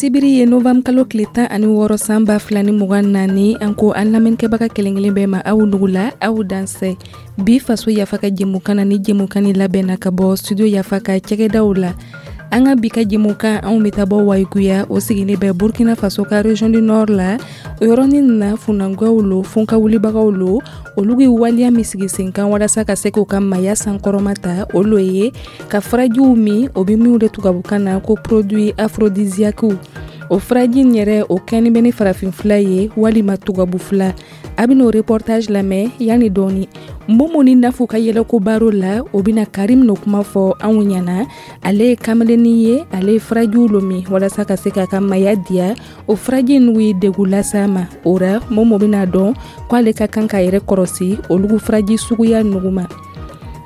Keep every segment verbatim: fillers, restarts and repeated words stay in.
Sibiri ye novembre kalo tile tan ani wɔɔrɔ san ba fila ni mugan naani. An ko an lamɛnnikɛbaga kelen kelen bɛɛ ma, aw nugula, aw dansɛ. Bi Faso Yafa ka jɛmukan na, ni jɛmukan ni labɛnna ka bɔ Studio Yafa ka cɛgɛdaw la, an ka bi ka jɛmukan, anw bɛ taa bɔ Wayiguya, o sigilen bɛ Burkina Faso ka région du Nord la. O yɔrɔnin na, funankɛw lo, funka wulibagaw lo, olu bɛ waleya min sigi sen kan walasa ka se k'u ka maya sankɔrɔma ta, o lo ye ka furajiw min, o bɛ minw de tubabukan na ko produit aphrodisiaque. O furaji in yɛrɛ, o kɛni bɛ ni farafin fila ye walima tubabu fila. A bɛn'o reportage lamɛn yanni dɔɔni. Momo ni Nafu ka yɛlɛko baro la, o bɛna Karim no kuma fɔ anw ɲɛna. Ale ye kameleni ye, ale ye furajiw lo min walasa ka se k'a ka maya diya. O furaji n'u ye degun las'a ma. O ra, Momo bɛna dɔn ko ale ka kan k'a yɛrɛ kɔrɔsi olugu furaji suguya nugu ma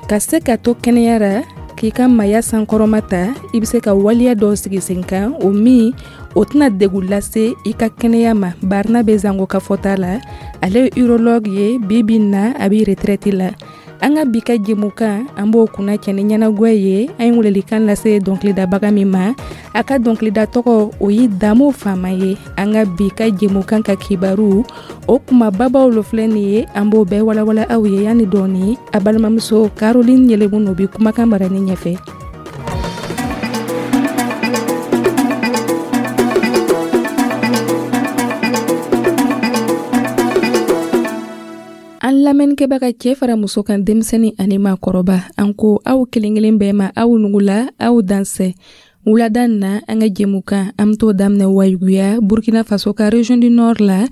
ka se ka to kɛnɛya ra, k'i ka maya sankɔrɔma ta. I bɛ se ka waleya dɔw sigi sen kan, o min o tɛna degun lase i ka kɛnɛya ma. Barina bɛ zango ka fɔta la, ale ye urologue ye. Bi bi na, a bɛ retraite la. An ka bi ka jɛmukan, an b'o kunna cɛ ni ɲɛnagwɛ ye. An ye welelikan lase dɔnkilidabaga min ma, a ka dɔnkilida tɔgɔ, o ye Damo Fama ye. An ka bi ka jɛmukan ka kibaru, o kumababaw lo filɛ nin ye, an b'o bɛɛ walawala aw ye yanni dɔɔni. A balimamuso Caroline Yɛlɛmu no bi kumakan marani ɲɛfɛ. An lamɛnnikɛbaga, cɛ fara muso kan, denmisɛnnin ani maakɔrɔba, an ko aw kelen kelen bɛɛ ma, aw nugula, aw dansɛ. Wulada na, an ka jɛmukan, an bɛ t'o daminɛ Wayiguya, Burkina Faso ka région du Nord la.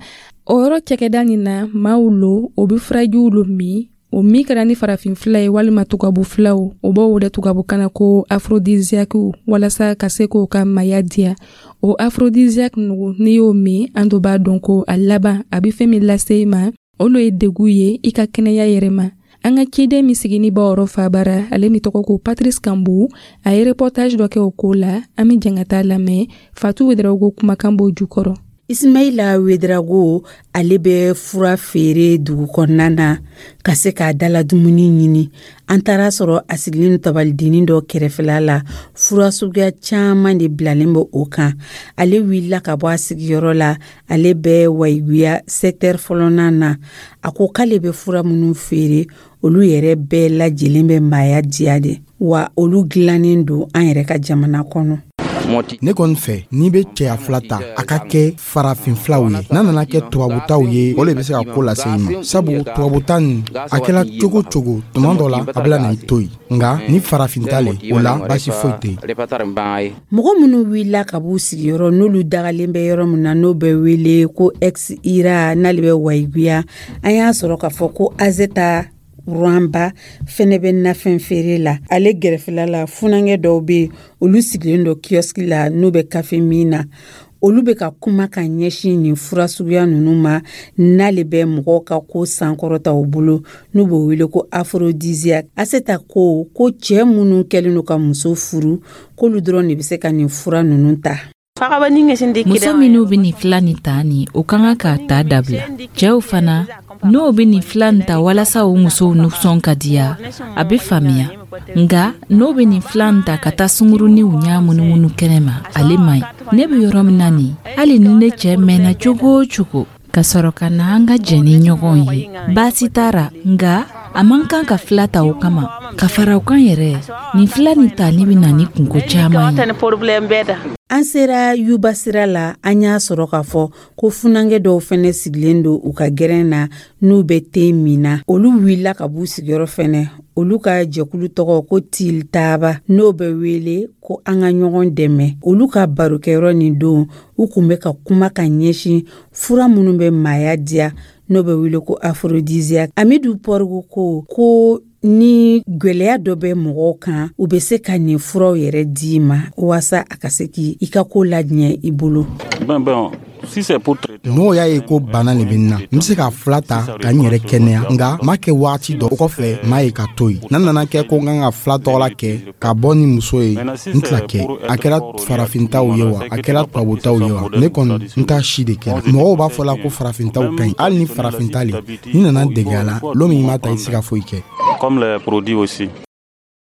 O yɔrɔ cɛkɛda nin na, maaw lo, o bɛ furajiw lo min, o min kɛra ni farafin fila ye walima tubabu filaw, o b'o wele tubabukan na ko aphrodisiaque, walasa ka se k'o ka maya diya. O aphrodisiaque nugu, n'i y'o min, an do b'a dɔn ko a laban, a bɛ fɛn min lase i ma, o lo ye degun ye i ka kɛnɛya yɛrɛ ma. An ka ciden min sigini bɔ yɔrɔ fabara, ale min tɔgɔ ko Patrice Kambu, a ye reportage dɔ kɛ o ko la. An bɛ jɛn ka taa lamɛn. Fatu Wedarawogo kumakan b'o jukɔrɔ. Ismaila Wedrago, ale bɛ fura feere dugu kɔnɔna na ka se k'a dala dumuni ɲini. An taara sɔrɔ a sigilen tabalidinin dɔ kɛrɛfɛla la, fura suguya caman de bilalen bɛ o kan. Ale wulila ka bɔ a sigiyɔrɔ la, ale bɛ Wayiguya secteur fɔlɔnan na. A ko k'ale bɛ fura minnu feere, olu yɛrɛ bɛɛ lajɛlen bɛ maaya diya de wa, olu dilannen don an yɛrɛ ka jamana kɔnɔ. Ne kɔni fɛ, n'i bɛ cɛya fila ta, a ka kɛ farafin filaw ye. N'a nana kɛ tubabutaw ye, o le bɛ se ka ko lase i ma, sabu tubabuta nin, a kɛla cogo cogo, tuma dɔ la a bɛna na i to yen. Nka ni farafin ta le, o la baasi foyi tɛ yen. Mɔgɔ minnu wulila ka b'u sigiyɔrɔ, n'olu dagalen bɛ yɔrɔ min na, n'o bɛ wele ko ex ira, n'ale bɛ Wayiguya, an y'a sɔrɔ k'a fɔ ko Azeta Rwanda fɛnɛ bɛ nafɛn feere la. Ale gɛrɛfɛla la, funankɛ dɔw bɛ yen, olu sigilen don kiosque la, n'u bɛ kafe min na. Olu bɛ ka kuma ka ɲɛsin nin fura suguya ninnu ma, n'ale bɛ mɔgɔw ka ko sankɔrɔta u bolo, n'u b'o wele ko aphrodisiaque. Aseta ko ko cɛ minnu kɛlen don ka muso furu, k'olu dɔrɔn de bɛ se ka nin fura ninnu ta. Muso minnu bɛ nin fila nin ta nin, o ka kan k'a ta dabila. Cɛw fana, n'o bɛ nin fila nin ta walasa o musow nisɔn ka diya, a bɛ faamuya. Nka n'o bɛ nin fila nin ta ka taa sunguruninw ɲa munumunu kɛnɛ ma, ale man ɲi. Ne bɛ yɔrɔ min na nin, hali ni ne cɛ mɛnna cogo o cogo ka sɔrɔ ka na an ka jɛn ni ɲɔgɔn ye, baasi t'a ra. Nka a man kan ka fila ta o kama. Ka fara o kan yɛrɛ, nin fila nin tali bɛ na ni kunko caman ye. An sera Yuba sira la, an y'a sɔrɔ k'a fɔ ko funankɛ dɔw fɛnɛ sigilen don u ka gɛrɛn na, n'u bɛ te min na. Olu wulila ka b'u sigiyɔrɔ fɛnɛ. Olu ka jɛkulu tɔgɔ ko Tiltaba, n'o bɛ wele ko an ka ɲɔgɔn dɛmɛ. Olu ka barokɛyɔrɔ nin don, u kun bɛ ka kuma ka ɲɛsin fura minnu bɛ maaya diya, n'o bɛ wele ko aphrodisiaque. Amidu Pɔrigu ko ko ni gwɛlɛya dɔ bɛ mɔgɔw kan, u bɛ se ka nin furaw yɛrɛ di ma waasa a ka se k'i ka ko laɲɛ i bolo. N'o y'a ye ko bana de bɛ n na, n bɛ se ka fila ta ka n yɛrɛ kɛnɛya, nka m'a kɛ waati dɔ kɔfɛ, m'a ye ka to yen. N'a nana kɛ ko n kan ka fila tɔgɔla kɛ ka bɔ ni muso ye, n tɛna kɛ. A kɛra farafintaw ye wa, a kɛra tubabutaw ye wa, ne kɔni n t'a si de kɛ. Mɔgɔw b'a fɔ la ko farafintaw ka ɲi. Hali ni farafinta le, n'i nana dege a la, lon min i m'a ta, i tɛ se ka foyi kɛ. Comme les produits aussi.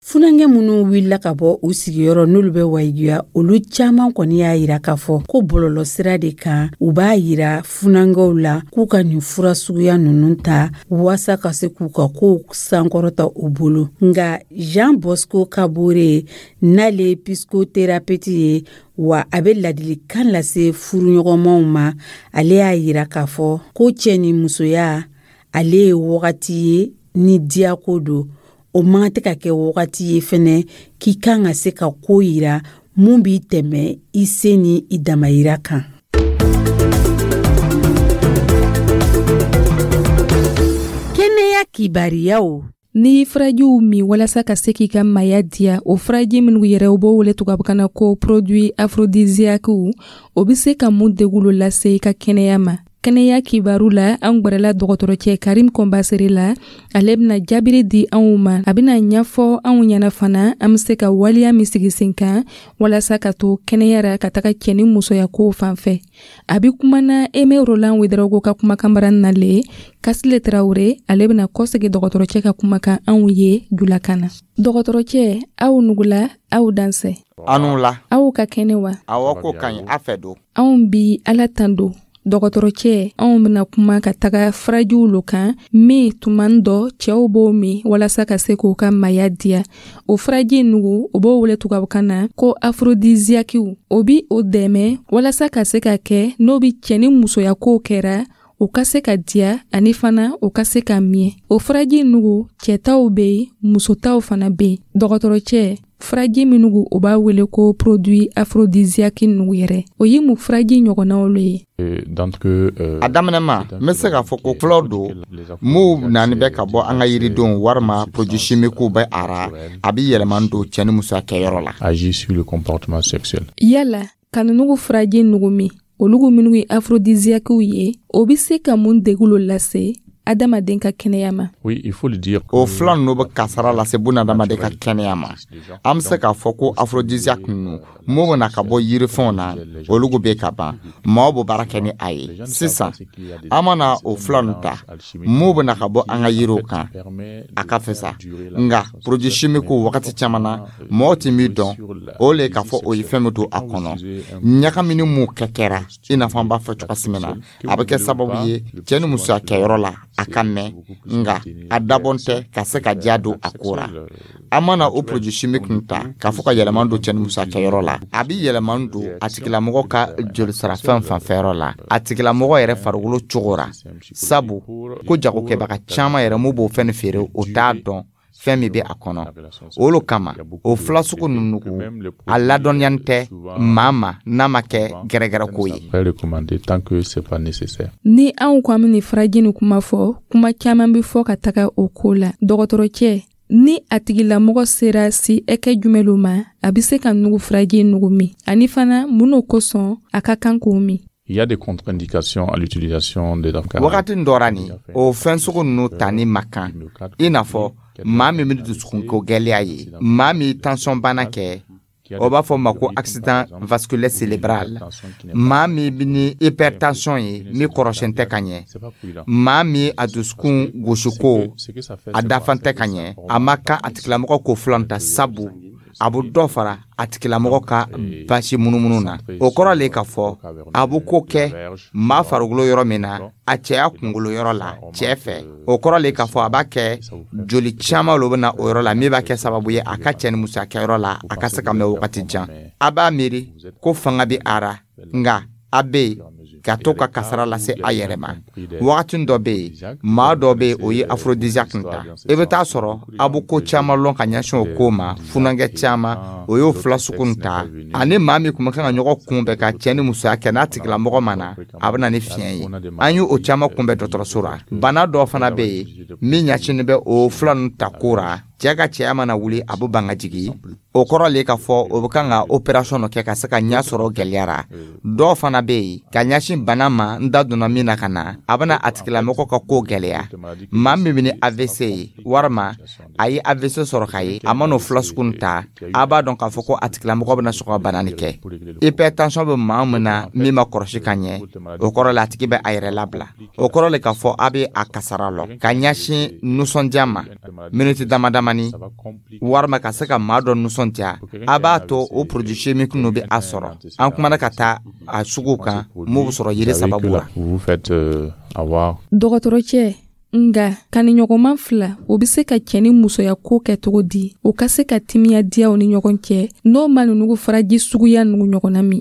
Funankɛ minnu wulila ka bɔ u sigiyɔrɔ, n'olu bɛ Wayiguya, olu caman kɔni y'a yira k'a fɔ ko bɔlɔlɔsira de kan, u b'a yira funankɛw la k'u ka nin fura suguya ninnu ta waasa ka se k'u ka kow sankɔrɔta u bolo. Nka Jean Bosco Kabore, n'ale ye psychothérapeute ye, wa a bɛ ladilikan lase furuɲɔgɔnmaw ma, ale y'a yira k'a fɔ ko cɛ ni musoya, ale ye wagati ye ni diyako don. O man tɛ ka kɛ wagati ye fɛnɛ k'i kan ka se ka ko yira mun b'i tɛmɛ i se ni i damayira kan. Kɛnɛya kibariyaw. N'i furajiw min walasa ka se k'i ka maya diya, o furaji minnu yɛrɛ, u b'o wele tubabukan na ko produit aphrodisiaque, o bɛ se ka mun degun lase i ka kɛnɛya ma? Kɛnɛya kibaru la, an gwɛrɛla dɔgɔtɔrɔcɛ Karim Kɔnbasere la. Ale bɛna jaabiri di anw ma, a bɛna ɲɛfɔ anw ɲɛna fana an bɛ se ka waleya min sigi sen kan walasa ka to kɛnɛya ra ka taga cɛ ni musoya kow fan fɛ. A bɛ kumana Eme Roland Ouedraogo ka kumakanbara na le. Kasile Tarawele, ale bɛna kɔsegi dɔgɔtɔrɔcɛ ka kumakan anw ye julakan na. Dɔgɔtɔrɔcɛ, aw nugula, aw dansɛ. Anu la. Aw ka kɛnɛ wa? Awɔ, ko ka ɲi, a fɛ don. Anw bi Ala tando. Dɔgɔtɔrɔcɛ, anw bɛna kuma ka taga furajiw lo kan min tuma dɔ cɛw b'o min walasa ka se k'u ka maya diya. O furaji nugu, o b'o wele tubabukan na ko aphrodisiaque. O bi o dɛmɛ walasa ka se ka kɛ n'o bi cɛ ni musoya kow kɛra, o ka se ka diya ani fana o ka se ka miɲɛ. O furaji nugu, cɛtaw bɛ yen, musotaw fana bɛ yen. Dɔgɔtɔrɔcɛ, furaji minnu o b'a wele ko produit aphrodisiaque nugu yɛrɛ, o ye mun furaji ɲɔgɔnnaw lo ye? A daminɛ ma, n bɛ se k'a fɔ ko fulaw don m'u naani bɛ ka bɔ an ka yiridenw walima produit chimiques bɛ a ra, a bɛ yɛlɛma don cɛ ni musoya kɛyɔrɔ la. Yala ka nugu furaji nugu min, olugu minnu ye aphrodisiaque ye, o bɛ se ka mun degun lase adamaden ka kɛnɛya ma? O fila ninnu bɛ kasara lase bunadamaden ka kɛnɛya ma. An bɛ se k'a fɔ ko aphrodisiaque ninnu mun bɛ na ka bɔ yirifɛnw na, olu bɛ ka ban, maaw bɛ baara kɛ ni a ye. Sisan an mana o fila ninnu ta mun bɛ na ka bɔ an ka yiriw kan, a ka fisa. Nka produit chimique, wagati caman na mɔgɔw tɛ min dɔn, o le k'a fɔ o ye fɛn min don a kɔnɔ, ɲagamini mun kɛ kɛra, i n'a fɔ an b'a fɔ cogoya min na, a bɛ kɛ sababu ye cɛ ni musoya kɛyɔrɔ la a ka mɛn, nka a dabɔn tɛ ka se ka diya don a ko ra. An mana o produit chimique ta k'a fɔ ka yɛlɛma don cɛ ni musoya kɛyɔrɔ la, a bɛ yɛlɛma don a tigilamɔgɔ ka jolisirafɛn fanfɛyɔrɔ la, a tigilamɔgɔ yɛrɛ farikolo cogo ra. Sabu ko jagokɛbaga caman yɛrɛ mun b'o fɛn feere, o t'a dɔn fɛn min bɛ a kɔnɔ. O lo kama o fila sugu ninnu, a ladɔnniyani tɛ maa ma n'a ma kɛ gɛrɛgɛrɛko ye. Ni anw ko an bɛ nin furaji nin kuma fɔ, kuma caman bɛ fɔ ka taga o ko la. Dɔgɔtɔrɔcɛ, ni a tigilamɔgɔ sera si ɛkɛ jumɛn lo ma, a bɛ se ka nugu furaji nugu min, ani fana mun n'o kosɔn a ka kan k'o min? Il y a des contre-indications à l'utilisation des Wagati dɔ ra nin, o fɛn sugu ninnu tani ma kan, i n'a fɔ maa min bɛ dusukunko gɛlɛya ye, maa min tension bana kɛ, o b'a fɔ ma ko accident vasculaire cérébral, maa min bɛ ni hypertension ye min kɔrɔsiyɛn tɛ ka ɲɛ, maa min a dusukun gosiko a dafan tɛ ka ɲɛ, a ma kan a tigilamɔgɔ k'o filan ta, sabu a bɛ dɔ fara a tigilamɔgɔ ka basi munumunu na. O kɔrɔ le k'a fɔ a bɛ ko kɛ maa farikolo yɔrɔ min na, a cɛya kunkolo yɔrɔ la cɛ fɛ, o kɔrɔ le k'a fɔ a b'a kɛ joli caman lo bɛ na o yɔrɔ la, min b'a kɛ sababu ye a ka cɛ ni musoya kɛyɔrɔ la a ka se ka mɛn wagati jan. A b'a miiri ko fanga bɛ a ra, nka a bɛ yen ka to ka kasara lase a yɛrɛ ma. Wagati dɔ bɛ yen, maa dɔ bɛ yen, o ye aphrodisiaque ta, i bɛ taa sɔrɔ a bɛ ko caman lɔn ka ɲɛsin o ko ma. Funankɛ caman o y'o fila sugu ta, ani maa min tun bɛ kan ka ɲɔgɔn kunbɛn ka cɛ ni musoya kɛ, n'a tigilamɔgɔ ma na, a bɛ na ni fiɲɛ ye. An ye o caman kunbɛn dɔgɔtɔrɔso la. Bana dɔ fana bɛ yen min ɲɛsinnen bɛ o fila ninnu ta ko ra. Cɛ ka cɛya mana wuli, a bɛ ban ka jigin, o kɔrɔ le k'a fɔ o bɛ kan ka opération dɔ kɛ ka se ka ɲɛ sɔrɔ gɛlɛya ra. Dɔw fana bɛ yen ka ɲɛsin bana ma, n da donna min na ka na, a bɛna a tigilamɔgɔ ka ko gɛlɛya. Maa min bɛ ni A V C ye walima a ye A V C sɔrɔ ka ye, a man'o fila sugu ta, a b'a dɔn k'a fɔ ko a tigilamɔgɔ bɛna sɔn ka bana nin kɛ. Hypertension bɛ maa min na min ma kɔlɔsi ka ɲɛ, o kɔrɔ la a tigi bɛ a yɛrɛ labila. O kɔrɔ le k'a fɔ a bɛ a kasara lɔ ka ɲɛsin nisɔndiya ma miniti dama damani. ɲɛnamani walima ka se ka maa dɔ nisɔndiya, a b'a to o produit chimique ninnu bɛ a sɔrɔ. An kumana ka taa a suguw kan mun bɛ sɔrɔ yiri sababu la. Dɔgɔtɔrɔcɛ, nga kaniɲɔgɔnman fila, o be se ka cɛ ni musoya ko kɛ cogo di, o ka se ka timiya diyaw ni ɲɔgɔn cɛ, n'o ma nunugu faraji suguya nugu ɲɔgɔnna min?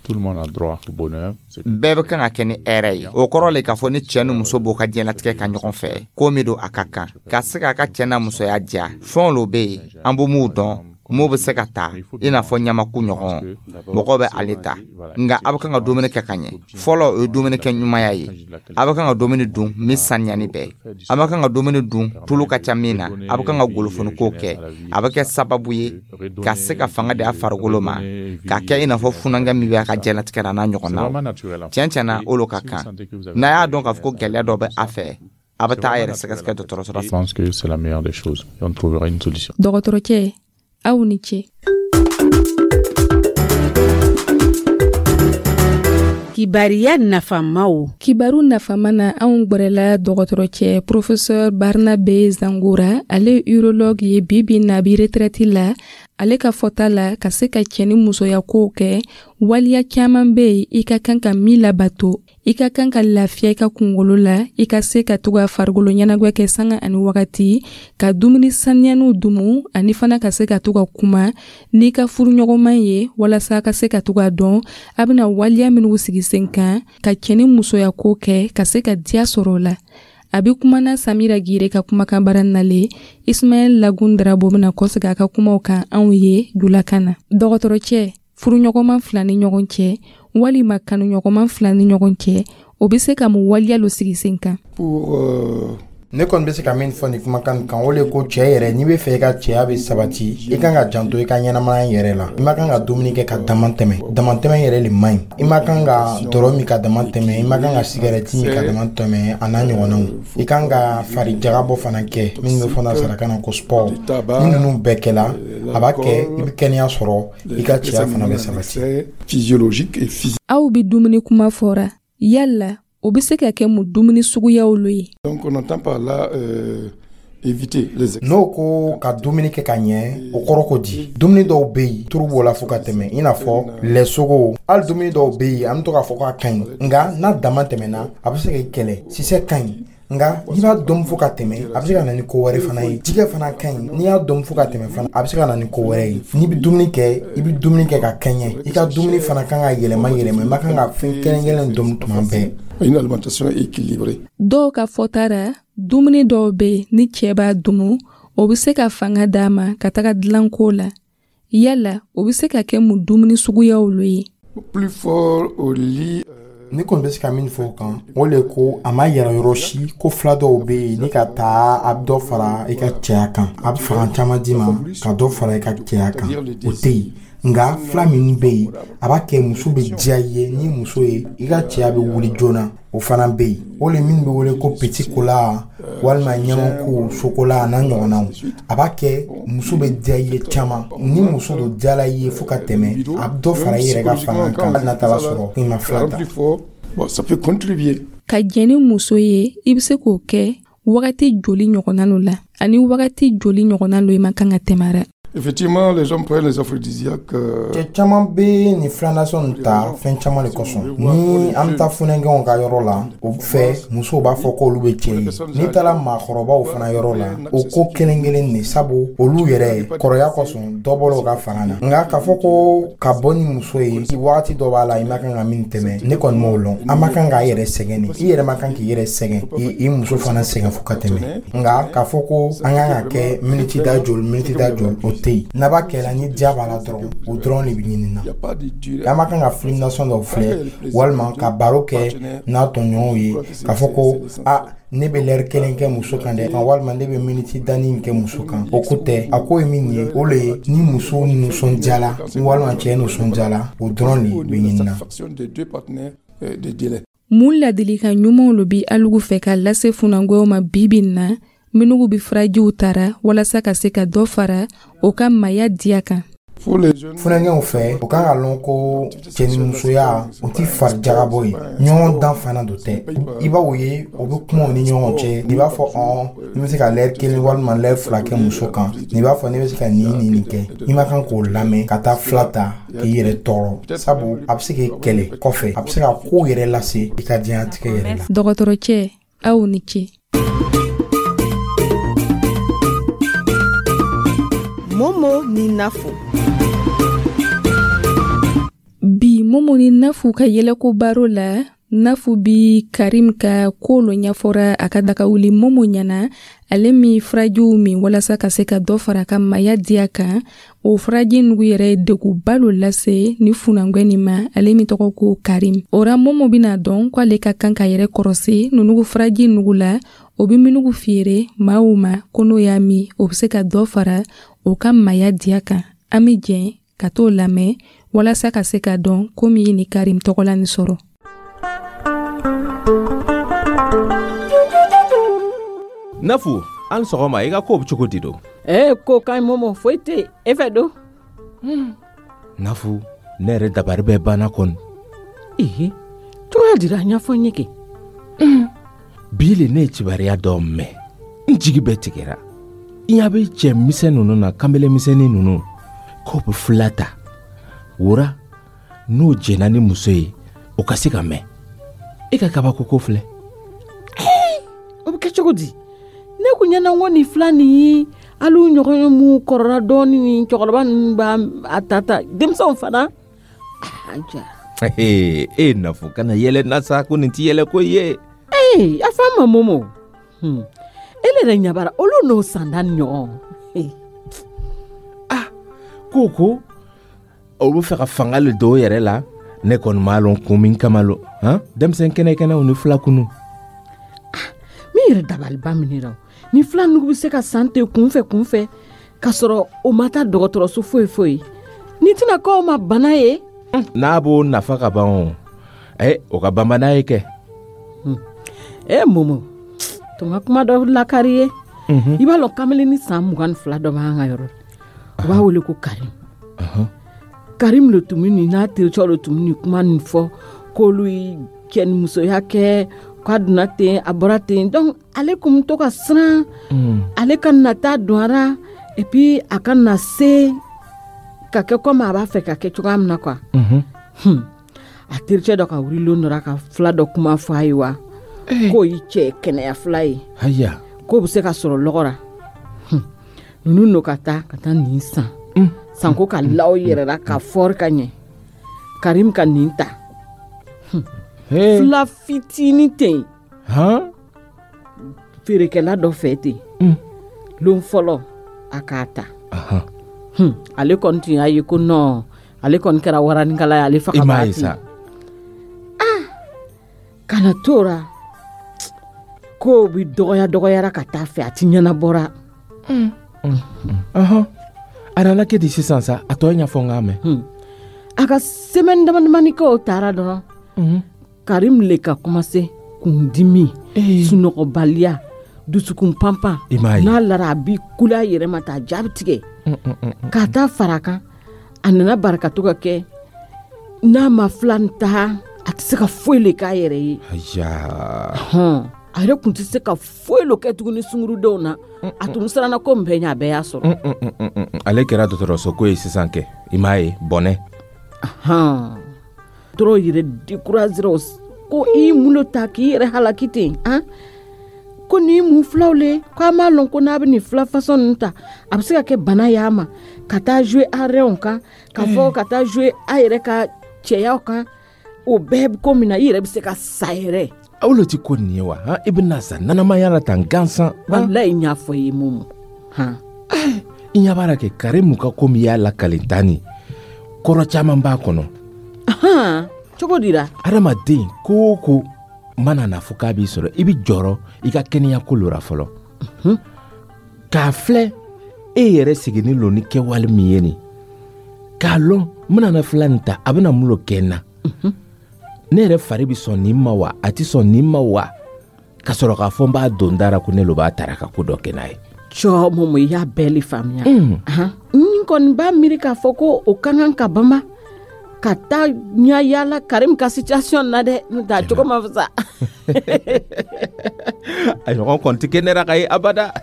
Bɛɛ bɛ kan ka kɛ ni hɛrɛ ye. O kɔrɔ le k'a fɔ ni cɛɛ ni muso b'o ka diɲɛlatigɛ ka ɲɔgɔn fɛ, ko min don a ka kan ka se k'a ka cɛɛ n'a musoya diya. Fɛnw lo be yen, an b'o m'u dɔn, m'o bɛ se ka ta i n'a fɔ ɲamaku ɲɔgɔn, mɔgɔw bɛ ale ta. Nka a bɛ kan ka dumuni kɛ ka ɲɛ. Fɔlɔ, o ye dumuni kɛ ɲumanya ye. A bɛ kan ka dumuni dun min saniyani bɛɛ. A bɛ kan ka dumuni dun tulu ka ca min na. A bɛ kan ka golofoniko kɛ. A bɛ kɛ sababu ye ka se ka fanga di a farikolo ma, k'a kɛ i n'a fɔ funankɛ min bɛ a ka diɲɛlatigɛ la n'a ɲɔgɔnnaw. Tiɲɛ tiɲɛ na, o ka kan. N'a y'a dɔn k'a fɔ ko gɛlɛya dɔ bɛ a fɛ, a bɛ taa a yɛrɛ sɛgɛsɛgɛ dɔgɔtɔrɔso la. Dɔgɔtɔrɔcɛ, aw ni ce. Kibariya nafamaw. Kibaru nafama na, anw gwɛrɛla dɔgɔtɔrɔcɛ professeur Barnabe Zangura. Ale ye urologue ye, bi bi na bi retraite la. Ale ka fɔta la, ka se ka cɛ ni musoya kow kɛ, waliya caaman be yen i ka kan ka min labato. I ka kan ka lafiya i ka kungolo la, i ka se ka to ka farikolo ɲɛnagwɛ kɛ sanga ani wagati, ka dumuni saniyaniw dumu, ani fana ka se ka to ka kuma n'i ka furuɲɔgɔnman ye, walasa ka se ka to ka dɔn a bɛna waliya minnu sigi sen kan ka cɛ ni musoya ko kɛ, ka se ka diya sɔrɔ o la. A bɛ kumana Samira Gire ka kumakan bara nalen. Ismaɛl Lagun Darabo bɛna kɔsegin a ka kumaw kan anw ye julakan na. Dɔgɔtɔrɔcɛ, furuɲɔgɔnman fila ni ɲɔgɔn cɛ walima kanuɲɔgɔnman fila ni ɲɔgɔn cɛ, o bɛ se ka mun waliya lo sigi sen kan? Ne kɔni bɛ se ka min fɔ nin kumakan kan, o le ko cɛ yɛrɛ, n'i bɛ fɛ i ka cɛya bɛ sabati, i kan ka janto i ka ɲɛnamaya yɛrɛ la. I ma kan ka dumuni kɛ ka dama tɛmɛ. Damatɛmɛ yɛrɛ le man ɲi. I ma kan ka dɔrɔ min ka dama tɛmɛ, i ma kan ka sigarɛti min ka dama tɛmɛ, a n'a ɲɔgɔnnaw. I kan ka fari jagabɔ fana kɛ, min bɛ fɔ nansarakan na ko sport. Ni ninnu bɛɛ kɛla, a b'a kɛ i bɛ kɛnɛya sɔrɔ, i ka cɛya fana bɛ sabati. Aw bɛ dumuni kuma fɔra, yala o bɛ se ka kɛ mun dumuni suguyaw lo ye? N'o ko ka dumuni kɛ ka ɲɛ, o kɔrɔ ko di? Dumuni dɔw bɛ yen, turu b'o la fo ka tɛmɛ, i n'a fɔ lɛsogo. Hali dumuni dɔw bɛ yen, an bɛ to k'a fɔ k'a ka ɲi, nka n'a dama tɛmɛna, a bɛ se k'i kɛlɛ. Sisɛ ka ɲi, nka n'i b'a dɔn fo ka tɛmɛ, a bɛ se ka na ni ko wɛrɛ fana ye. Jɛgɛ fana ka ɲi, n'i y'a dɔn fo ka tɛmɛ fana, a bɛ se ka na ni ko wɛrɛ ye. N'i bɛ dumuni kɛ, i bɛ dumuni kɛ ka kɛɲɛ. I ka dumuni fana kan ka yɛlɛma yɛlɛma. I ma kan ka fɛn kelen kelen dun tuma bɛɛ. Dɔw ka fɔta ra, dumuni dɔw bɛ yen, ni cɛ b'a dumu, o bɛ se ka fanga d'a ma ka taga dilanko la. Yala o bɛ se ka kɛ mun dumuni suguyaw lo ye? Ne kɔni bɛ se ka min fɔ o kan, o le ko a ma yɛrɛ yɔrɔ si ko fila dɔw bɛ yen, ni ka taa a bɛ dɔ fara i ka cɛya kan, a bɛ fanga caman d'i ma ka dɔ fara i ka cɛya kan, o tɛ yen. Nka fila min bɛ yen, a b'a kɛ muso bɛ diya i ye, ni muso ye i ka cɛya bɛ wuli joona, o fana bɛ yen. O le min bɛ wele ko petit cola walima ɲamaku, sokola, a n'a ɲɔgɔnnaw. A b'a kɛ muso bɛ diya i ye caman. Ni muso dɔ diyala i ye fo ka tɛmɛ, a bɛ dɔ fara i yɛrɛ ka fanga kan, hali n'a taara sɔrɔ i ma fila ta. Ka jɛn ni muso ye, i bɛ se k'o kɛ wagati joli ɲɔgɔnna lo la, ani wagati joli ɲɔgɔnna lo i ma kan ka tɛmɛ ra? Effectivement, les gens prennent les aphrodisiaques. Cɛ caman bɛ nin filanasɔn ta fɛn caman de kosɔn. Ni an bɛ taa funankɛw ka yɔrɔ la, o fɛ musow b'a fɔ k'olu bɛ cɛ ye. N'i taara maakɔrɔbaw fana yɔrɔ la, o ko kelen kelen de, sabu olu yɛrɛ kɔrɔya kosɔn, dɔ bɔra u ka fanga na. Nka k'a fɔ ko ka bɔ ni muso ye, wagati dɔ b'a la i ma kan ka min tɛmɛ, ne kɔni m'o lɔn. An ma kan k'a yɛrɛ sɛgɛn de. I yɛrɛ ma kan k'i yɛrɛ sɛgɛn, i muso fana sɛgɛn fo ka tɛmɛ. Nka k'a fɔ ko an kan ka kɛ miniti da joli, miniti da joli, o tɛ yen. N'a b'a kɛla ni diya b'a la dɔrɔn, o dɔrɔn de bɛ ɲini na. An ma kan ka film nasɔn dɔw filɛ walima ka baro kɛ n'a tɔɲɔgɔnw ye, k'a fɔ ko a ne bɛ lɛri kelen kɛ muso kan dɛ, walima ne bɛ miniti danni kɛ muso kan, o ko tɛ. A ko ye min ye, o le ye ni muso nisɔndiyala walima cɛ nisɔndiyala, o dɔrɔn de bɛ ɲini na. Mun ladilikan ɲumanw lo bi alugu fɛ ka lase funankɛw ma bi bi in na, minnu bɛ furajiw tara walasa ka se ka dɔ fara o ka maaya diya kan? Funankɛw fɛ, o kan ka lɔn ko cɛnimusoya o tɛ farijagabɔ ye, ɲɔgɔn dan fana do tɛ. I b'o ye, o bɛ kuma u ni ɲɔgɔn cɛ. I b'a fɔ ɔn ni bɛ se ka lɛri kelen walima lɛri fila kɛ muso kan, n'i b'a fɔ ne bɛ se ka nin nin nin kɛ, i ma kan k'o lamɛn ka taa fila ta k'i yɛrɛ tɔɔrɔ, sabu a bɛ se k'i kɛlɛ kɔfɛ, a bɛ se ka ko yɛrɛ lase i ka diɲɛlatigɛ yɛrɛ la. Dɔgɔtɔrɔcɛ, aw ni ce. Momo ni Nafu. Bi Momo ni Nafu ka yɛlɛko baro la, Nafu bi Karim ka ko lo ɲɛfɔra a ka dagawuli Momo ɲɛna, ale min furajiw min walasa ka se ka dɔ fara a ka maya diya kan. O furaji nugu yɛrɛ ye degunba lo lase ni funangwɛ nin ma, ale min tɔgɔ ko Karim. O ra Momo bɛna dɔn ko ale ka kan ka yɛrɛ kɔrɔsi nunugu furaji nugu la, o bɛ minugu feere maaw ma ko n'o y'a min, o bɛ se ka dɔ fara o ka maya diya kan. An bɛ jɛn ka t'o lamɛn walasa ka se ka dɔn ko min ye ni Karim tɔgɔla nin sɔrɔ. Nafu, an sɔgɔma, i ka kow bɛ cogo di don? Ee, ko ka ɲi Momo, foyi tɛ e fɛ don. Nafu, ne yɛrɛ dabari bɛɛ banna kɔni. Ee, cogoya dira a ɲɛfɔ n ye kɛ. Bi le ne ye kibaruya dɔ mɛn, n jigi bɛɛ tigɛra. I ɲɛ bɛ cɛ misɛn ninnu na, kanbele misɛnnin ninnu, k'o bɛ fila ta. Wora, n'o jɛnna ni muso ye, o ka se ka mɛn. E ka kabako ko filɛ. O bɛ kɛ cogo di? Ne kun ɲɛna ko nin fila nin ye hali u ɲɔgɔn ye mun kɔrɔla dɔɔni, ni cɛkɔrɔba ninnu b'a a ta ta, denmisɛnw fana. Aja. E Nafu, kana yɛlɛ na sa, ko nin ti yɛlɛ ko ye. Ee, a fa ma Momo. Hmm. E yɛrɛ ɲabara olu n'o sanda ni ɲɔgɔn. Ah, ko ko olu bɛ fɛ ka fanga le don o yɛrɛ la. Ne kɔni m'a lɔn kun min kama lo, han, denmisɛn kɛnɛ kɛnɛw ni fila kunu. Ah, min yɛrɛ dabaliba minɛ la, ni fila nugu bɛ se ka san ten kunfɛ kunfɛ k'a sɔrɔ o ma taa dɔgɔtɔrɔso foyi foyi, ni tɛna k'o ma bana ye. N'a b'o nafa ka ban o, ɛ o ka banba n'a ye kɛ. E Momo, tun ka kuma dɔ lakari ye. I b'a lɔn kamalen ni san mugan ni fila dɔ b'an ka yɔrɔ, u b'a wele ko Karim. Karim le tun bɛ nin n'a tericɛ le tun bɛ nin kuma nin fɔ k'olu ye cɛnimusoya kɛ, k'a donna ten a bɔra ten, donc ale kun bɛ to ka siran ale ka na taa don a la, et puis a ka na se ka kɛ komi a b'a fɛ ka kɛ cogoya min na quoi. A tericɛ dɔ ka wuli lon dɔ la ka fila dɔ kuma fɔ a ye wa, k'o y'i cɛ kɛnɛya fila ye, k'o bɛ se ka sɔrɔ lɔgɔ la. Ninnu n'o ka taa ka taa nin san sanko ka law yɛrɛ la ka fɔri ka ɲɛ, Karim ka nin ta fila fitinin ten feerekɛla dɔ fɛ ten, lon fɔlɔ a k'a ta. Ale kɔni tun y'a ye ko non, ale kɔni kɛra waranikala ye, ale faga b'a ten. Ah, kana t'o la, k'o bi dɔgɔya dɔgɔyara ka taa fɛ, a ti ɲɛnabɔra. A nana kɛ di sisan sa, a tɔ ɲɛfɔ n k'a mɛn. A ka semaine dama damani kɛ o taara dɔrɔn, Karim le ka commencer kundimi, sunɔgɔbaliya, dusukun panpan, n'a lara a bi kule a yɛrɛ ma ta, a jaabi tigɛ k'a taa fara kan. A nana barika to ka kɛ, n'a ma fila ta a tɛ se ka foyi le k'a yɛrɛ ye. A yɛrɛ kun tɛ se ka foyi lo kɛ tuguni sungurudenw na. A tun siranna ko min bɛɛ ɲɛ, a bɛɛ y'a sɔrɔ. Ale kɛra dɔgɔtɔrɔso ko ye sisan kɛ, i m'a ye bɔnɛ. Dɔrɔn yɛrɛ découragé ko i mun lo ta k'i yɛrɛ halaki ten, han, ko nin mun filaw le, k'a m'a lɔn ko n'a bɛ nin fila façon ninnu ta, a bɛ se ka kɛ bana y'a ma, ka taa jouer a rɛnw kan, ka fɔ ka taa jouer a yɛrɛ ka cɛyaw kan, o bɛɛ ko min na i yɛrɛ bɛ se ka sa yɛrɛ. Aw lo ti ko nin ye wa, han, i bɛna sa nanamaya la tan gansan. Walayi n y'a fɔ i ye Momo, han. I ɲɛ b'a la kɛ Karimu ka ko min y'a lakalen tan nin, kɔrɔ caman b'a kɔnɔ. Cogo di la? Adamaden ko o ko mana na fɔ k'a b'i sɔrɔ, i bɛ jɔrɔ i ka kɛnɛya ko lora fɔlɔ. K'a filɛ e yɛrɛ seginni lo ni kɛwale min ye nin, k'a lɔn n bɛna na fila nin ta, a bɛna mun lo kɛ n na. Ne yɛrɛ fari bɛ sɔn nin ma wa, a tɛ sɔn nin ma wa, ka sɔrɔ k'a fɔ n b'a don da la ko ne lo b'a tara ka ko dɔ kɛ n'a ye. Cɔ Momo, i y'a bɛɛ le faamuya. N kɔni b'a miiri k'a fɔ ko o ka kan ka bama ka taa ɲa yaala Karim ka situation na dɛ, n'o tɛ a cogo ma fisa. A ɲɔgɔn kɔni tɛ kɛ ne ra ka ye abada.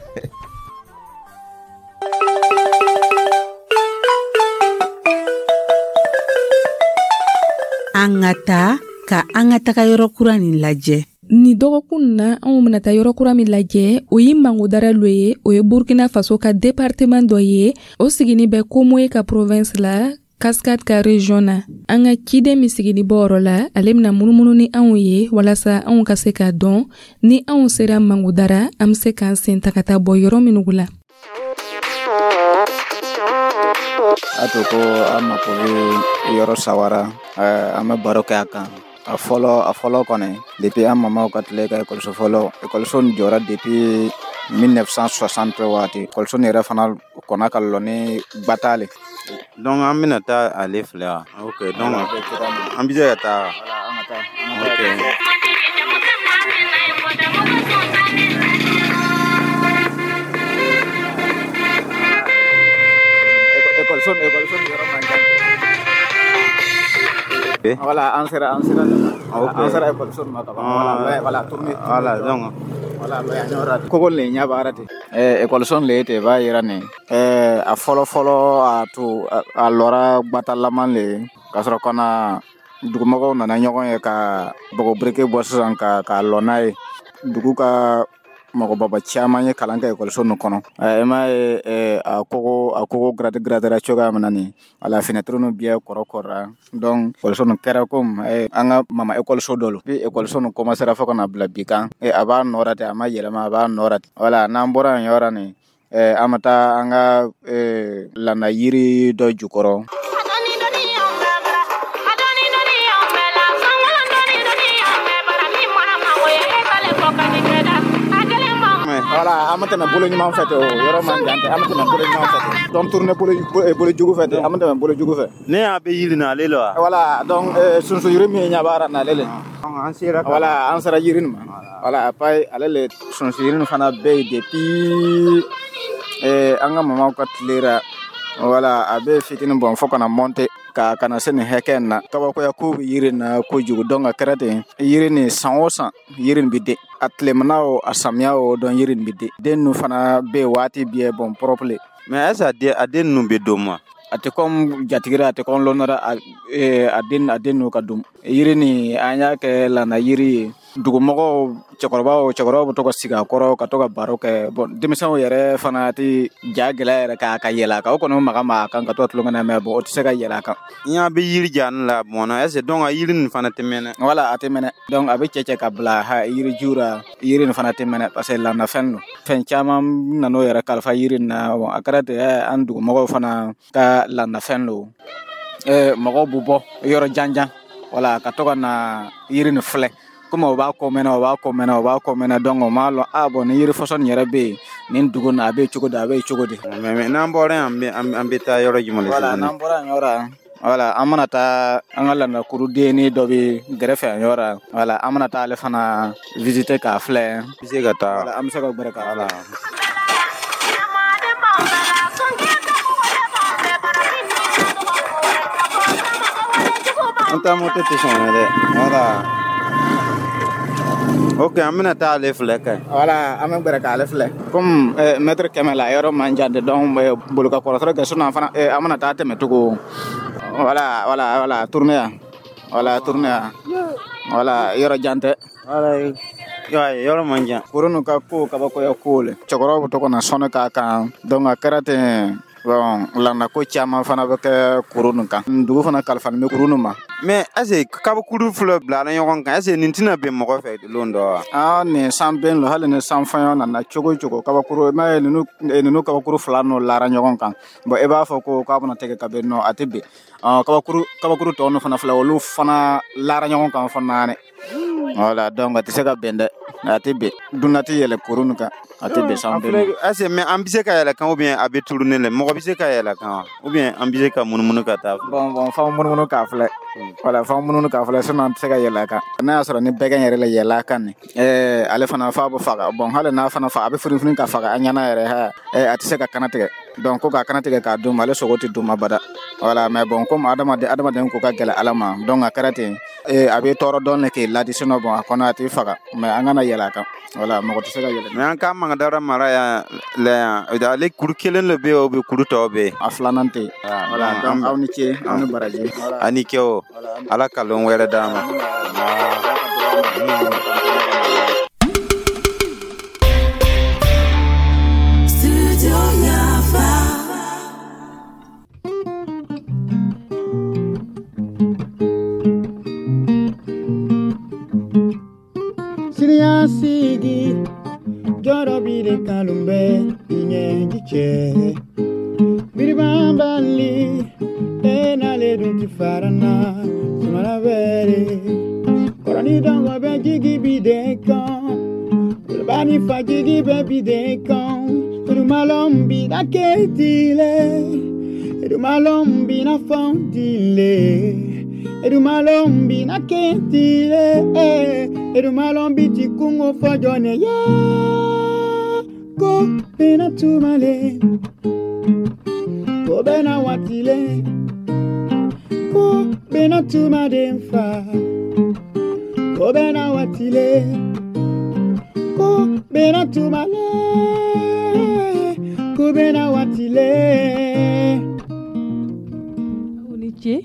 An ka taa ka an ka taga yɔrɔ kura nin lajɛ. Ni dɔgɔkun na, anw bɛna taa yɔrɔ kura min lajɛ, o ye Mangodara lo ye. O ye Burkina Faso ka département dɔ ye, o sigini bɛ Komoé ka province la, Cascade ka région na. An ka ciden min sigini bɔ yɔrɔ la, ale bɛna munumunu ni anw ye walasa anw ka se k'a dɔn ni anw sera Mangodara, an bɛ se k'an sen ta ka taa bɔ yɔrɔ minnu la. A to ko an mako bɛ yɔrɔ sawara, an bɛ baro kɛ a kan. A fɔlɔ a fɔlɔ kɔni, depuis an mamaw ka tile ka ekɔliso fɔlɔ, ekɔliso nin jɔra depuis mille neuf cent soixante waati. Ekɔliso nin yɛrɛ fana kɔnna ka lɔ ni gbata le. Donc an bɛna taa ale filɛ wa? Ok, donc an bɛ se ka taa. Ok. Ekɔliso ekɔliso nin yɔrɔ man jan. Voilà, an sera an sera an sera ekɔliso nin ma ka ban. Voilà, voilà, tourner. Voilà, donc voilà, yan yɔrɔ kogo le ɲɛ b'a la ten. Ɛɛ ekɔliso nin le ten b'a yira nin. Ɛɛ a fɔlɔ fɔlɔ a to a lɔra gbatalaman le ka sɔrɔ ka na dugumɔgɔw nana ɲɔgɔn ye ka bɔgɔ biriki bɔ sisan ka k'a lɔ n'a ye. Dugu ka mɔgɔbaba caman ye kalan kɛ ekɔliso nin kɔnɔ. E m'a ye a kogo a kogo grade gradera cogoya min na nin, wala fenêtre nu bɛɛ kɔrɔ kɔrɔra. Donc ekɔliso nin kɛra komi an ka mama ekɔliso dɔ lo. Bi ekɔliso nin commencera fo ka na bila bi kan, a b'a nɔ ra ten, a ma yɛlɛma, a b'a nɔ ra ten. Wala n'an bɔra yen yɔrɔ nin, an bɛ taa an ka landa yiri dɔ jukɔrɔ. Voilà, an bɛ tɛmɛ bolo ɲuman fɛ ten, o yɔrɔ man jan tɛ, an bɛ tɛmɛ bolo ɲuman fɛ ten. Donc tourner bolo bolo jugu fɛ ten, an bɛ tɛmɛ bolo jugu fɛ. Ne y'a bɛ yiri na ale la wa? Voilà, donc sunsun yiri min ɲɛ b'a la n'ale le. An sera. Voilà, an sera yiri nin ma. Voilà, après ale le sunsun yiri nin fana bɛ yen depuis an ka mamaw ka tile la. Voilà, a bɛ fitinin bɔn fo ka na monter ka kana se nin hakɛ in na. Kabakoya ko bɛ yiri na kojugu, donc a kɛra ten, yiri nin san o san yiri nin bɛ den. A tilemana o a samiya o, donc yiri nin bɛ den. Den ninnu fana bɛ yen waati bɛɛ, bon propre le. Mais est ce que a den ninnu bɛ don ma? A tɛ comme jatigira, a tɛ comme lɔnnara, a den a den ninnu ka dun. Yiri nin an y'a kɛ landa yiri ye. Dugumɔgɔw, cɛkɔrɔbaw cɛkɔrɔbaw bɛ to ka sigi a kɔrɔ ka to ka baro kɛ. Bon, denmisɛnw yɛrɛ fana tɛ ja gɛlɛya yɛrɛ k'a ka yɛlɛ a kan. O kɔni maga ma a kan ka to ka tulonkɛ n'a mɛ, bon o tɛ se ka yɛlɛ a kan. N y'a bɛ yiri ja ne la mɔn na, est ce que donc a yiri nin fana tɛ mɛnɛ? Voilà, a tɛ mɛnɛ. Donc a bɛ cɛ cɛ ka bila ha yiri ju la, yiri nin fana tɛ mɛnɛ parce que landafɛn don. Fɛn caman nan'o yɛrɛ kalifa yiri nin na. Bon, a kɛra ten, an dugumɔgɔw fana ka landafɛn don. Mɔgɔw bɛ bɔ yɔrɔ jan jan, voilà, ka to ka na yiri nin filɛ. Komi o b'a ko mɛnɛ, o b'a ko mɛnɛ, o b'a ko mɛnɛ, donc o m'a lɔn, a bon ni yiri fɔsɔn nin yɛrɛ bɛ yen nin dugu nin, a bɛ cogo di, a bɛ cogo di. Mais n'an bɔra yan, an bɛ taa yɔrɔ jumɛn? Voilà, n'an bɔra yan yɔrɔ, voilà, an mana taa an ka landakurudenni dɔ bɛ gɛrɛfɛ yan yɔrɔ. Voilà, an mana taa ale fana visiter k'a filɛ. An bɛ se ka taa. Voilà, an bɛ se ka gbɛrɛ k'a filɛ. An taa moto tɛ sɔn dɛ. Voilà. Ok, an bɛna taa ale filɛ kɛ. Voilà, an bɛ gbɛrɛ k'ale filɛ. Comme mètre kɛmɛ la, yɔrɔ man jan de, donc bolo ka kɔrɔtɔ kɛ sinon fana an bɛna taa tɛmɛ cogo. Voilà, voilà, voilà, tourner yan. Voilà, tourner yan. Voilà, yɔrɔ jan tɛ. Voilà, yɔrɔ man jan. Kuru ninnu ka ko kabakoya ko le. Cɛkɔrɔbaw bɛ to ka na sɔnni k'a kan. Donc a kɛra ten. Bon, landa ko caman fana bɛ kɛ kuru nin kan. Dugu fana kalifalen bɛ kuru nin ma. Mais est ce que kabakuru fila bilala ɲɔgɔn kan, est ce que nin tɛna bɛn mɔgɔ fɛ lon dɔ wa? Ah, nin san bɛn lo, hali ni san fɛn nana cogo o cogo, kabakuru, i m'a ye ninnu ninnu kabakuru fila n'o lara ɲɔgɔn kan. Bon, i b'a fɔ ko k'a bɛna tigɛ ka bɛn, nɔ a tɛ bɛn. Kabakuru kabakuru tɔ ninnu fana filɛ, olu fana lara ɲɔgɔn kan fɔ naani. Voilà, donc a tɛ se ka bɛn dɛ, a tɛ bɛn. Dunan tɛ yɛlɛ kuru nin kan. A tɛ descendre. Est-ce mais an bɛ se ka yɛlɛ kan ou bien a bɛ tourner le mɔgɔ bɛ se ka yɛlɛ kan wa ou bien an bɛ se ka munumunu ka taa. Bon bon f'an munumunu k'a filɛ. Voilà, f'an munumunu k'a filɛ, sinon an tɛ se ka yɛlɛ a kan. N'a y'a sɔrɔ ni bɛgɛn yɛrɛ la yɛlɛ a kan nin, ɛɛ ale fana f'a bɛ faga. Bon hali n'a fana fa a bɛ funufunu ka faga an ɲɛna yɛrɛ ha ɛɛ a tɛ se ka kana tigɛ. Donc ko k'a kana tigɛ k'a dun ma, ale sogo tɛ dun ma bada. Voilà, mais bon comme adamaden adamaden ko ka gɛlɛ Ala ma, donc a kɛra ten, ee a bɛ tɔɔrɔ dɔɔnin k'i ladi, sinon bon a kɔnɔ a t'i faga, mais an kana yɛlɛ a kan. Voilà, mɔgɔ tɛ se ka yɛlɛ. Mais an ka Mangadara mara yan la yan, ale kuru kelen de bɛ yen ou bien kuru tɔw bɛ yen? A filanan tɛ yen. Voilà, donc aw ni ce, aw ni baraji. A ni ce o, Ala ka lon wɛrɛ d'an ma. Siniɲɛsigi jɔrɔ b'i de kanu bɛ i ɲɛji cɛ biribanbali e n'ale dun ti fara n na sumala bɛre kɔrɔni dɔngɔ bɛ jigi bi den kan woloba ni fa jigi bɛ bi den kan edumalɔn bi na ketile edumalɔn bi na fɔntile edumalɔn bi na ketile edumalɔn bi ti kungo fɔjɔ ne ye ko bena tumale ko bena watile ko bena tumaden fa ko bena watile ko bena tumale ko bena watile. Aw ni ce.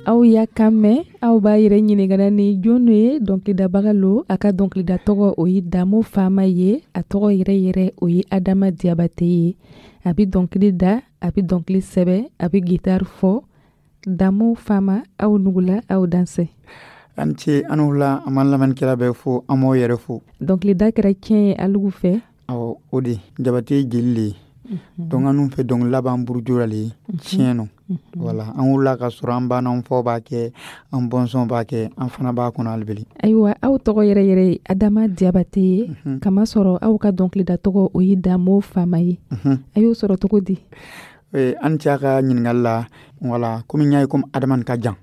Aw y'a kan mɛn, aw b'a yɛrɛ ɲininkana ni jɔn ye dɔnkilidabaga lo. A ka dɔnkilida tɔgɔ o ye Damo Fama ye, a tɔgɔ yɛrɛ yɛrɛ o ye Adama Diabate ye. A bɛ dɔnkili da, a bɛ dɔnkili sɛbɛ, a bɛ guitare fɔ. Damo Fama, aw nugula, aw dansɛ. An ce, an wula, an b'an lamɛnnikɛla bɛɛ fo, an b'aw yɛrɛ fo. Dɔnkilida kɛra tiɲɛ ye alugu fɛ. Awɔ, o de Jabate ye jeli le ye. Donc an fɛ dɔnkilila b'an burujo la le tiɲɛ nɔ. Voilà, an wulila ka sɔrɔ an ba n'an faw b'a kɛ, an bɔnsɔn b'a kɛ, an fana b'a kɔnɔ hali. Ayiwa, aw tɔgɔ yɛrɛ yɛrɛ ye Adama Diabate ye, kamasɔrɔ aw ka dɔnkilida tɔgɔ o ye Damo Fama ye. A y'o sɔrɔ cogo di? An cɛ ka ɲininkali la, voilà, komi n y'a ye komi Adama ka jan,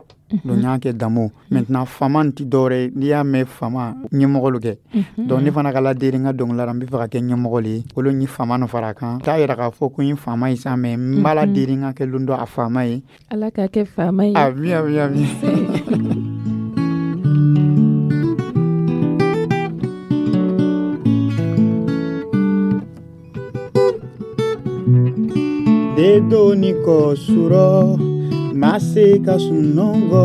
donc n y'a kɛ Damo. Maintenant Fama tɛ dɔwɛrɛ ye, n'i y'a mɛn Fama ɲɛmɔgɔ lo kɛ. Donc ne fana ka laderi n ka dɔnkilida la, n bɛ fɛ ka kɛ ɲɛmɔgɔ le ye, olu ni Fama nɔ fara a kan. T'a yira k'a fɔ ko n ye Fama ye sa, mais n b'a laderi n ka kɛ lon dɔ a Fama ye. Ala k'a kɛ Fama ye. Ami ami ami. Dedoni kɔ surɔ ma se ka sunɔgɔ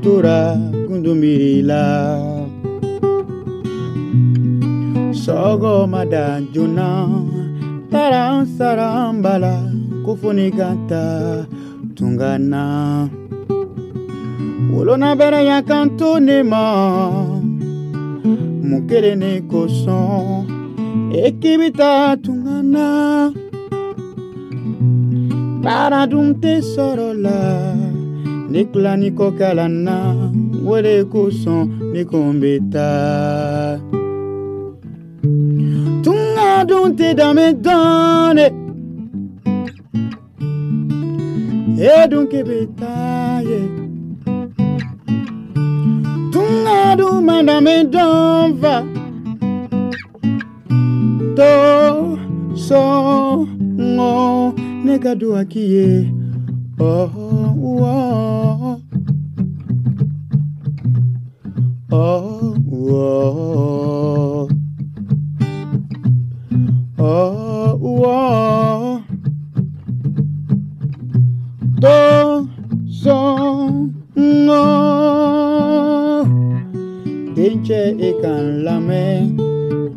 tora gundumiri la sɔgɔmada joona taara n sara n ba la ko fo ne ka taa tunga na wolona bɛrɛ ya kan to ne ma mun kelen ne kosɔn e k'i bɛ taa tunga na baara dun tɛ sɔrɔ la ne tila ni kɔ kalan na o de kosɔn ne ko n bɛ taa tunga dun tɛ danbe dɔn dɛ e dun k'i bɛ taa ye tunga dun ma danbe dɔn fa to sɔngɔ ne ka duwa k'i ye oh oh oh oh oh oh to sɔngɔ dencɛ e ka n lamɛn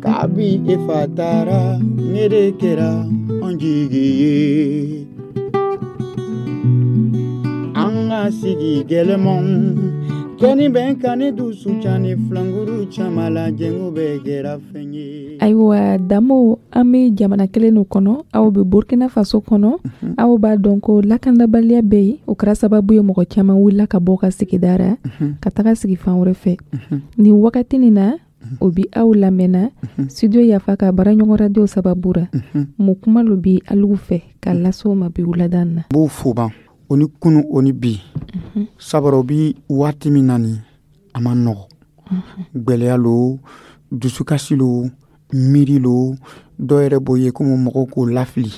kabi e fa taara ne de kɛra an jigi ye an ka sigi gɛlɛmanw kɛni bɛn ka ne dusu ca ni filankuru caman la jɛngo bɛɛ kɛra fɛn ye. Ayiwa Damo, an bɛ jamana kelen nin kɔnɔ, aw bɛ Burkina Faso kɔnɔ. Aw b'a dɔn ko lakanabaliya bɛ yen, o kɛra sababu ye mɔgɔ caman wulila ka bɔ ka sigida ra ka taga sigi fan wɛrɛ fɛ. Nin wagati nin na, O bi aw lamɛnna studio Yafa ka baaraɲɔgɔn radio sababu ra. Mun kuma lo bi alugu fɛ ka lase o ma bi wulada in na? N b'o fo ban, o ni kunu o ni bi, sabara o bi waati min na nin, a ma nɔgɔ. Gwɛlɛya lo, dusukasi lo, miiri lo, dɔw yɛrɛ b'o ye komi mɔgɔw k'o lafili.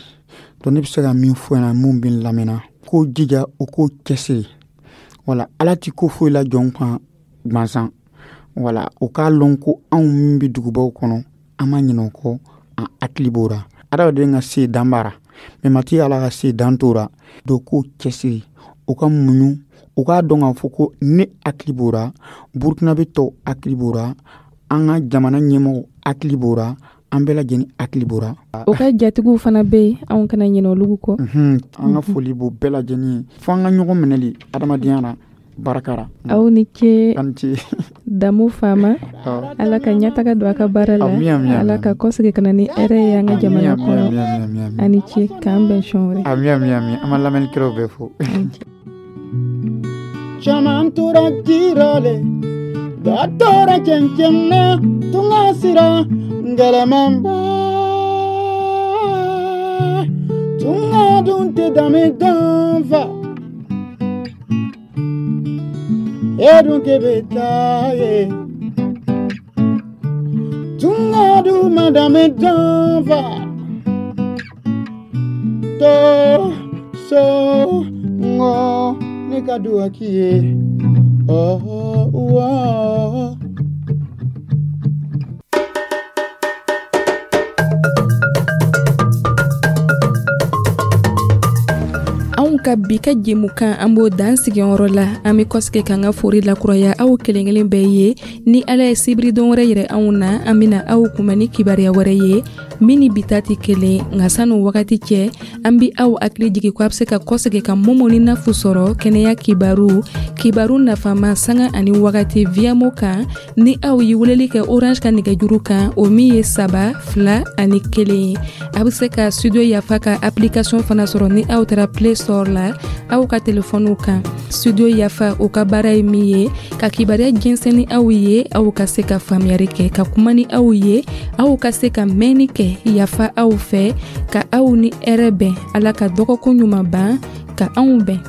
Donc ne bɛ se ka min fɔ ɲɛna, mun bɛ n lamɛnna, k'o jija, o k'o cɛsiri. Wala Ala ti ko foyi la jɔn kan gansan. Wala o k'a lɔn ko anw min bɛ dugubaw kɔnɔ, an ma ɲinɛ o kɔ, an hakili b'o ra. Adamaden ka se dan b'a ra, mais matigi Ala ka se dan t'o ra. Donc k'o cɛsiri, o ka muɲu, o k'a dɔn k'a fɔ ko ne hakili b'o ra, Burukinabe tɔw hakili b'o ra, an ka jamana ɲɛmɔgɔw hakili b'o ra, an bɛɛ lajɛlen hakili b'o ra. O ka jatigiw fana bɛ yen, anw kana ɲinɛ olu kɔ. An ka foli b'o bɛɛ lajɛlen ye. Fo an ka ɲɔgɔn minɛli adamadenya la, barika ra. Aw ni ce. Aw ni ce. Damu Fama, Ala ka ɲɛtaga don a ka baara la, Ala ka kɔsegin ka na ni hɛrɛ ye an ka jamana kɔnɔ. A ni ce, k'an bɛn siɲɛ wɛrɛ. Ami ami ami, an b'an lamɛnnikɛlaw bɛɛ fo. Caman tora jira le, dɔ tora cɛncɛn na, tunga sira gɛlɛmanba. Tunga dun tɛ danbe danfa. E dun k'e bɛ taa ye. Tunga dun ma danbe danfa. To so ŋɔ ne ka duwa k'i ye. Oh, oh. Anw ka bi ka jɛmukan, an b'o dan sigiyɔrɔ la. An bɛ kɔsegin k'an ka fori lakuraya aw kelen kelen bɛɛ ye. Ni Ala ye sibiridon wɛrɛ yɛrɛ anw na, an bɛna aw kunbɛn ni kibaruya wɛrɛ ye min ni bi ta tɛ kelen. Nka san'o wagati cɛ, an bɛ aw hakili jigin ko a bɛ se ka kɔsegin ka Momo ni Nafu sɔrɔ kɛnɛya kibaru, kibaru nafama sanga ani wagati Viamo kan. Ni aw ye weleli kɛ Orange ka nɛgɛjuru kan, o min ye saba fila ani kelen ye. A bɛ se ka studio Yafa ka application fana sɔrɔ ni aw taara Play Store la aw ka telefɔniw kan. Studio Yafa, o ka baara ye min ye ka kibaruya jɛnsɛn ni aw ye, aw ka se ka faamuyali kɛ, ka kuma ni aw ye, aw ka se ka mɛnni kɛ. Yafa aw fɛ ka aw ni hɛrɛ bɛn. Ala ka dɔgɔkun ɲuman ban ka anw bɛn.